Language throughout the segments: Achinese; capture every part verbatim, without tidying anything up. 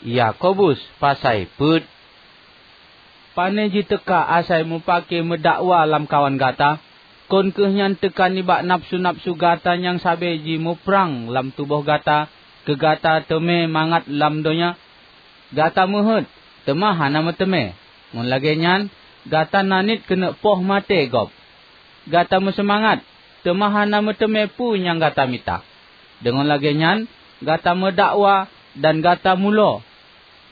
Yakobus pasai peuet. Pane jiteuka asai mupake meudakwa lamkawan gata, kon kheueh nyan teuka nibak nafeusu-nafeusu gata nyang sabe jimuprang lam tuboh gata keu gata teumé mangat lam donya? Gata meuheuét, teuma hana meuteumé. Ngon lagée nyan, gata naniet keuneuk poh maté gob. Gata meuseumangat, teuma hana meuteumé peue nyang gata mita. Deungon lagée nyan, gata meudakwa dan gata mulo.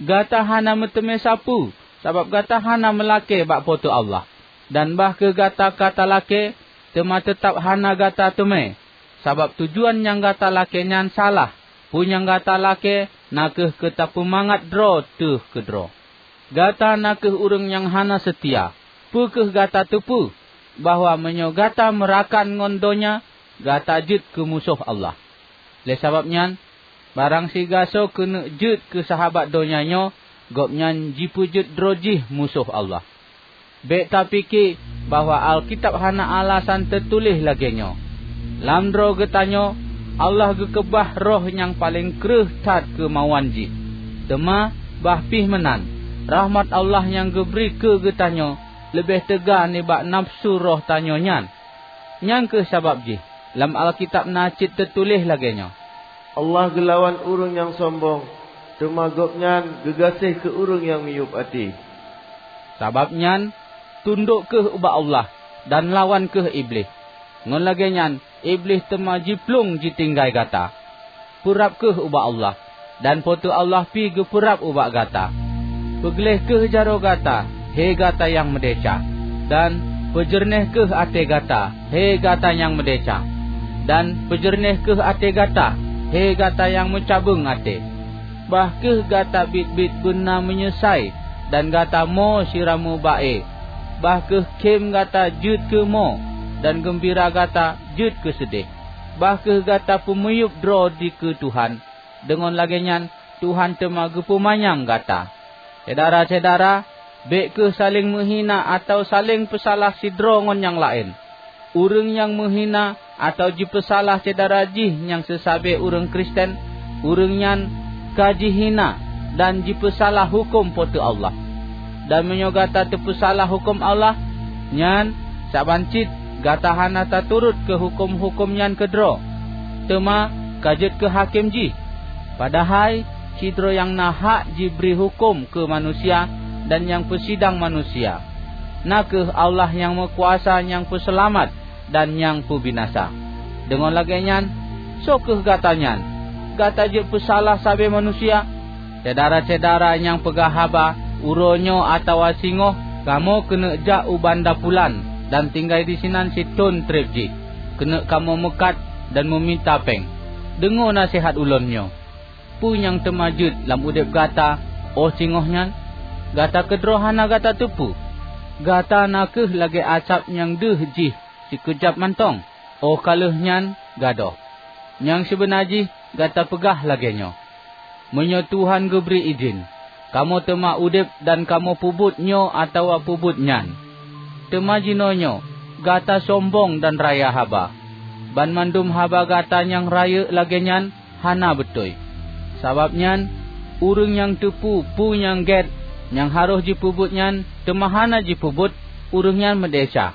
Gata hana meuteumé sapeue, sabab gata hana meulakée bak Po teu Allah. Dan bah kheueh gata ka talakée, teuma teutab hana gata teumé, sabab tujuan nyang gata lakée nyan salah. Peue nyang gata lakée na kheueh keu tapeumangat droe teuh keudroe. Gata na kheueh ureuëng nyang hana seutia. Peu kheueh gata teupeue bahwa meunyoe gata meurakan ngon donya, gata jeuet keu musoh Allah? Lé sabab nyan, barang sigasoe keuneuk jeuet keu sahabat donya nyoe, gobnyan jipeujeuet droe jih musoh Allah. Bék tapike bahwa Alkitab hana alasan teutuléh lagée nyoe. Lam droe geutanyoe, Allah geukeubah roh nyang paleng kreueh that keumauan jih. Teuma, bah pih meunan, rahmat Allah nyang geubri keu geutanyoe leubeh teuga nibak nafeusu roh tanyoe nyan. Nyang kheueh sabab jih lam Alkitab na cit teutuléh lagée nyoe, "Allah geulawan ureuëng nyang sombong, teuma Gobnyan geugaséh keu ureuëng nyang miyueb até." Sabab nyan, tundok kheueh ubak Allah dan lawan kheueh Iblih. Ngon lagée nyan, Iblih teuma jiplueng jitinggai gata. Peurab kheueh ubak Allah, dan Po teu Allah pih geupeurab ubak gata. Peugléh kheueh jaroe gata, hé gata nyang meudesya, dan peujeureunéh kheueh até gata, hé gata nyang meudesya, dan peujeureunéh kheueh até gata, hé gata nyang meucabeueng até. Bah kheueh gata biet-biet beuna meunyeusai, dan gata mo sira meuba-e. Bah kheueh khém gata jeuet keu mo, dan geumbira gata jeuet keu seudeh. Bah kheueh gata peumiyueb droe dikeue Tuhan, deungon lagée nyan Tuhan teuma geupeumanyang gata. Syedara-syedara, bék kheueh saléng meuhina atawa saléng peusalah sidroe ngon nyang laén. Ureuëng nyang meuhina atawa jipeusalah syedara jih nyang seusabe ureuëng Kristen, ureuëng nyan ka jihina dan jipeusalah huköm Po teu Allah. Dan meunyoe gata teupeusalah huköm Allah, nyan saban cit gata hana taturot keu huköm-huköm nyan keudroe, teuma ka jeuet keu hakém jih. Padahai sidroe nyang na hak jibri huköm keu manusia dan nyang peusidang manusia, na kheueh Allah nyang meukuasa nyang peuseulamat dan nyang peubinasa. Deungon lagée nyan, soe kheueh gata nyan? Gata jeuet peusalah sabe manusia? Syedara-syedara nyang peugah haba, uroe nyoe atawa singoh, kamoe keuneuk jak u banda pulan dan tinggai disinan sithon treb jih. Keuneuk kamoe meukat dan meumita péng. Deungoe naseuhat ulôn nyoe. Peue nyang teuma jeuet lam udeb gata óh singoh nyan? Gata keudroe hana gata teupeue. Gata na kheueh lagée asab nyang deuh jih sikeujab mantong, óh ka lheueh nyan gadôh. Nyang sibeuna jih gata peugah lagée nyoe, "Meunyoe Tuhan geubri idhin, kamoe teuma udeb dan kamoe peubuet nyoe atawa peubuet nyan." Teuma jinoenyoe gata sombong dan raya haba. Banmandum haba gata nyang rayeuk lagée nyan hana beutôi. Sabab nyan, ureuëng nyang teupeue peue nyang gét nyang harôh jipeubuet nyan teuma hana jipeubuet, ureuëng nyan meudesya.